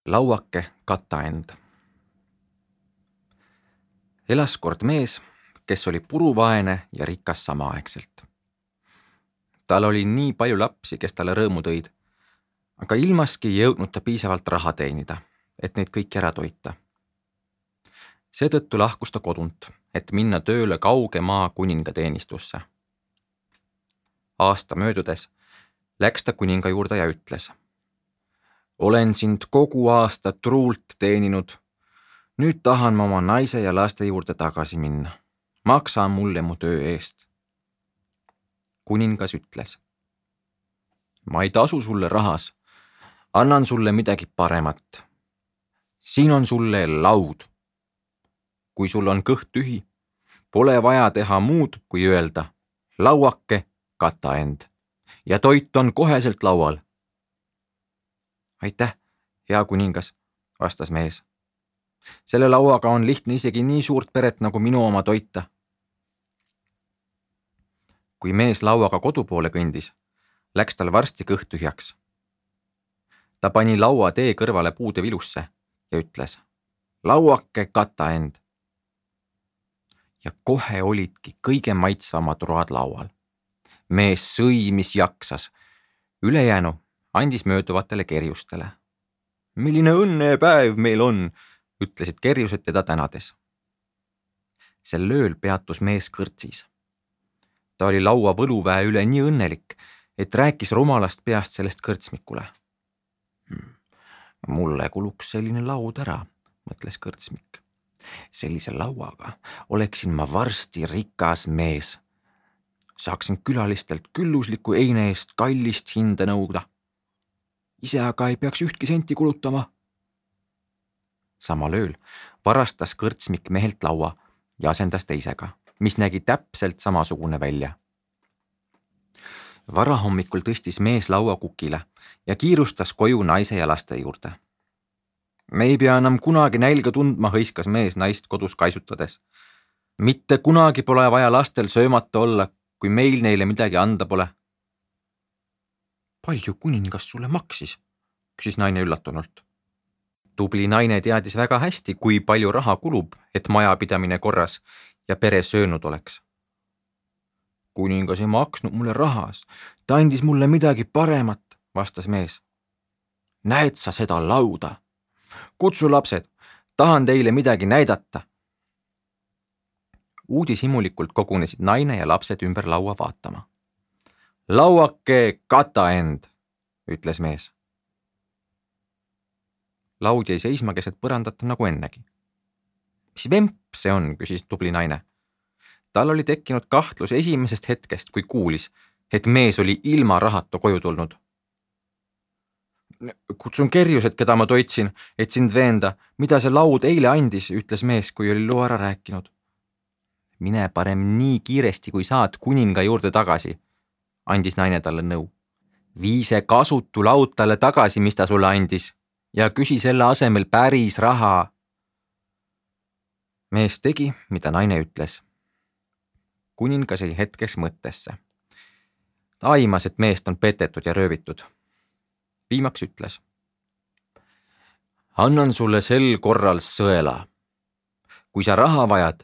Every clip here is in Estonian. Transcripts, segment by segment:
Lauake kata end. Elas kord mees, kes oli puruvaene ja rikas samaaegselt. Tal oli nii palju lapsi, kes talle rõõmu tõid, aga ilmaski ei jõudnud ta piisavalt raha teenida, et neid kõiki ära toita. Seetõttu lahkus ta kodunt, et minna tööle kauge maa kuninga teenistusse. Aasta möödudes läks ta kuninga juurde ja ütles: olen sind kogu aasta truult teeninud. Nüüd tahan ma oma naise ja laste juurde tagasi minna. Maksa mulle mu töö eest. Kuningas ütles: ma ei tasu sulle rahas. Annan sulle midagi paremat. Siin on sulle laud. Kui sul on kõht tühi, pole vaja teha muud kui öelda: lauake kata end. Ja toit on koheselt laual. Aitäh, hea kuningas, vastas mees. Selle lauaga on lihtne isegi nii suurt peret nagu minu oma toita. Kui mees lauaga kodu poole kõndis, läks tal varsti kõht tühjaks. Ta pani laua tee kõrvale puude vilusse ja ütles: lauake kata end. Ja kohe olidki kõige maitsvamad road laual. Mees sõi, mis jaksas. Ülejäänu andis mööduvatele kerjustele. Milline õnnepäev meil on, ütlesid kerjused teda tänades. Sel ööl peatus mees kõrtsis. Ta oli laua võluväe üle nii õnnelik, et rääkis rumalast peast sellest kõrtsmikule. Mulle kuluks selline laud ära, mõtles kõrtsmik. Sellise lauaga oleksin ma varsti rikas mees. Saaksin külalistelt küllusliku eine eest kallist hinda nõuda. Ise aga ei peaks ühtki senti kulutama. Samal ööl varastas kõrtsmik mehelt laua ja asendas teisega, mis nägi täpselt samasugune välja. Varahommikul tõstis mees laua kukile ja kiirustas koju naise ja laste juurde. Me ei pea enam kunagi nälga tundma, hõiskas mees naist kodus kaisutades. Mitte kunagi pole vaja lastel söömata olla, kui meil neile midagi anda pole. Palju kuningas sulle maksis? Küsis naine üllatunult. Tubli naine teadis väga hästi, kui palju raha kulub, et majapidamine korras ja pere söönud oleks. Kuningas ei maksnud mulle rahas, ta andis mulle midagi paremat, vastas mees. Näed sa seda lauda? Kutsu lapsed, tahan teile midagi näidata. Uudishimulikult kogunesid naine ja lapsed ümber laua vaatama. Lauake kata end, ütles mees. Laud jäi seisma keset põrandat nagu ennegi. Mis vemp see on, küsis tubli naine. Tal oli tekkinud kahtlus esimesest hetkest, kui kuulis, et mees oli ilma rahata koju tulnud. Kutsun kerjused, keda ma toitsin, et sind veenda, mida see laud eile andis, ütles mees, kui oli loo ära rääkinud. Mine parem nii kiiresti, kui saad kuninga juurde tagasi, andis naine talle nõu. Vii see kasutu laud talle tagasi, mis ta sulle andis, ja küsi selle asemel päris raha. Mees tegi, mida naine ütles. Kuningas jäi hetkeks mõttesse. Ta aimas, et meest on petetud ja röövitud. Viimaks ütles: annan sulle sel korral sõela. Kui sa raha vajad,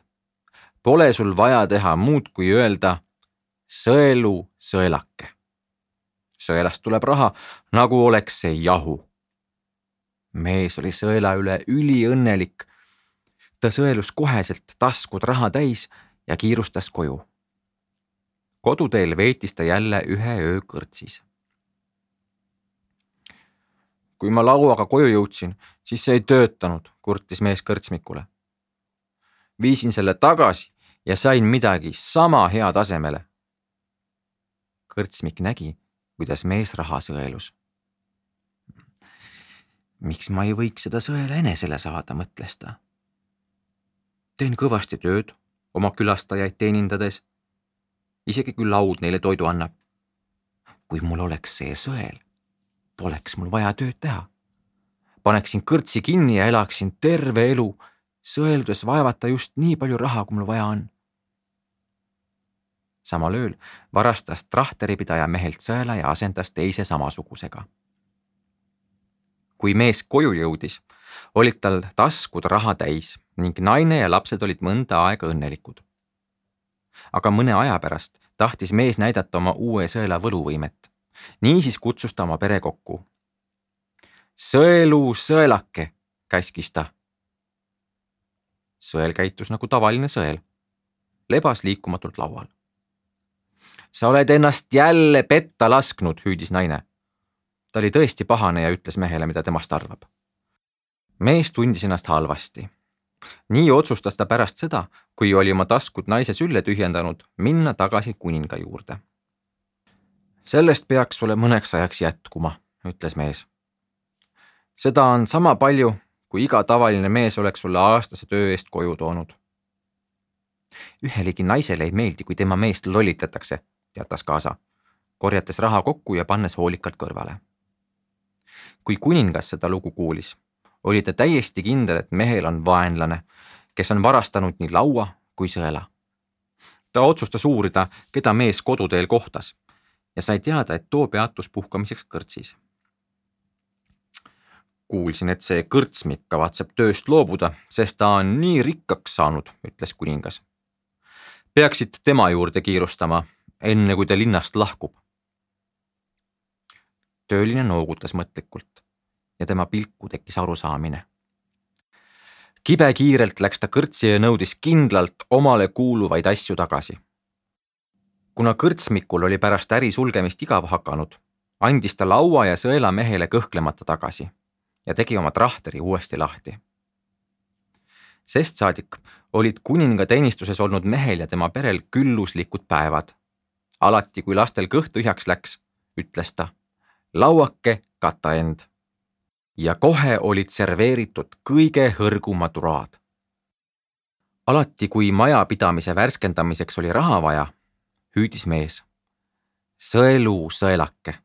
pole sul vaja teha muud kui öelda sõelu sõelake. Sõelast tuleb raha, nagu oleks see jahu. Mees oli sõela üle üliõnnelik. Ta sõelus koheselt taskud raha täis ja kiirustas koju. Koduteel veetis ta jälle ühe öö kõrtsis. Kui ma lauaga koju jõudsin, siis see ei töötanud, kurtis mees kõrtsmikule. Viisin selle tagasi ja sain midagi sama hea tasemele. Kõrtsmik nägi, kuidas mees raha sõelus. Miks ma ei võiks seda sõela enesele saada, mõtles ta. Teen kõvasti tööd oma külastajaid teenindades, isegi kui laud neile toidu annab. Kui mul oleks see sõel, poleks mul vaja tööd teha. Paneksin kõrtsi kinni ja elaksin terve elu, sõeldes vaevata just nii palju raha, kui mul vaja on. Samal ööl varastas trahteripidaja mehelt sõela ja asendas teise samasugusega. kui mees koju jõudis, olid tal taskud raha täis ning naine ja lapsed olid mõnda aega õnnelikud. Aga mõne aja pärast tahtis mees näidata oma uue sõela võluvõimet. Niisiis kutsus ta oma pere kokku. Sõelu sõelake, käskis ta. Sõel käitus nagu tavaline sõel. Lebas liikumatult laual. Sa oled ennast jälle petta lasknud, hüüdis naine. Ta oli tõesti pahane ja ütles mehele, mida temast arvab. Mees tundis ennast halvasti. Nii otsustas ta pärast seda, kui oli oma taskud naise sülle tühjendanud, minna tagasi kuninga juurde. Sellest peaks sulle mõneks ajaks jätkuma, ütles mees. Seda on sama palju, kui iga tavaline mees oleks sulle aastase töö eest koju toonud. Ühelegi naisele ei meeldi, kui tema meest lollitatakse, teatas kaasa, korjates raha kokku ja pannes hoolikalt kõrvale. Kui kuningas seda lugu kuulis, oli ta täiesti kindel, et mehel on vaenlane, kes on varastanud nii laua kui sõela. Ta otsustas uurida, keda mees koduteel kohtas ja sai teada, et too peatus puhkamiseks kõrtsis. Kuulsin, et see kõrtsmik kavatseb tööst loobuda, sest ta on nii rikkaks saanud, ütles kuningas. Peaksid tema juurde kiirustama, enne kui ta linnast lahkub. Tööline noogutas mõtlikult ja tema pilku tekkis arusaamine. Kibekiirelt läks ta kõrtsi ja nõudis kindlalt omale kuuluvaid asju tagasi. Kuna kõrtsmikul oli pärast äri sulgemist igav hakanud, andis ta laua ja sõela mehele kõhklemata tagasi ja tegi oma trahteri uuesti lahti. Sest saadik olid kuninga teenistuses olnud mehel ja tema perel külluslikud päevad. Alati, kui lastel kõht tühjaks läks, ütles ta, lauake kata end. Ja kohe olid serveeritud kõige hõrgumad uraad. Alati, kui majapidamise värskendamiseks oli raha vaja, hüüdis mees, sõelu sõelake.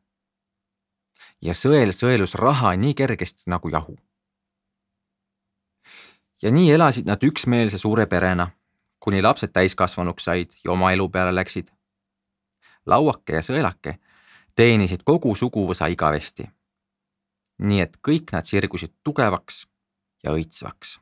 Ja sõel sõelus raha nii kergesti nagu jahu. Ja nii elasid nad üksmeelse suure perena, kuni lapsed täiskasvanuks said ja oma elu peale läksid. Lauake ja sõelake teenisid kogu suguvõsa igavesti. Nii et kõik nad sirgusid tugevaks ja õitsvaks.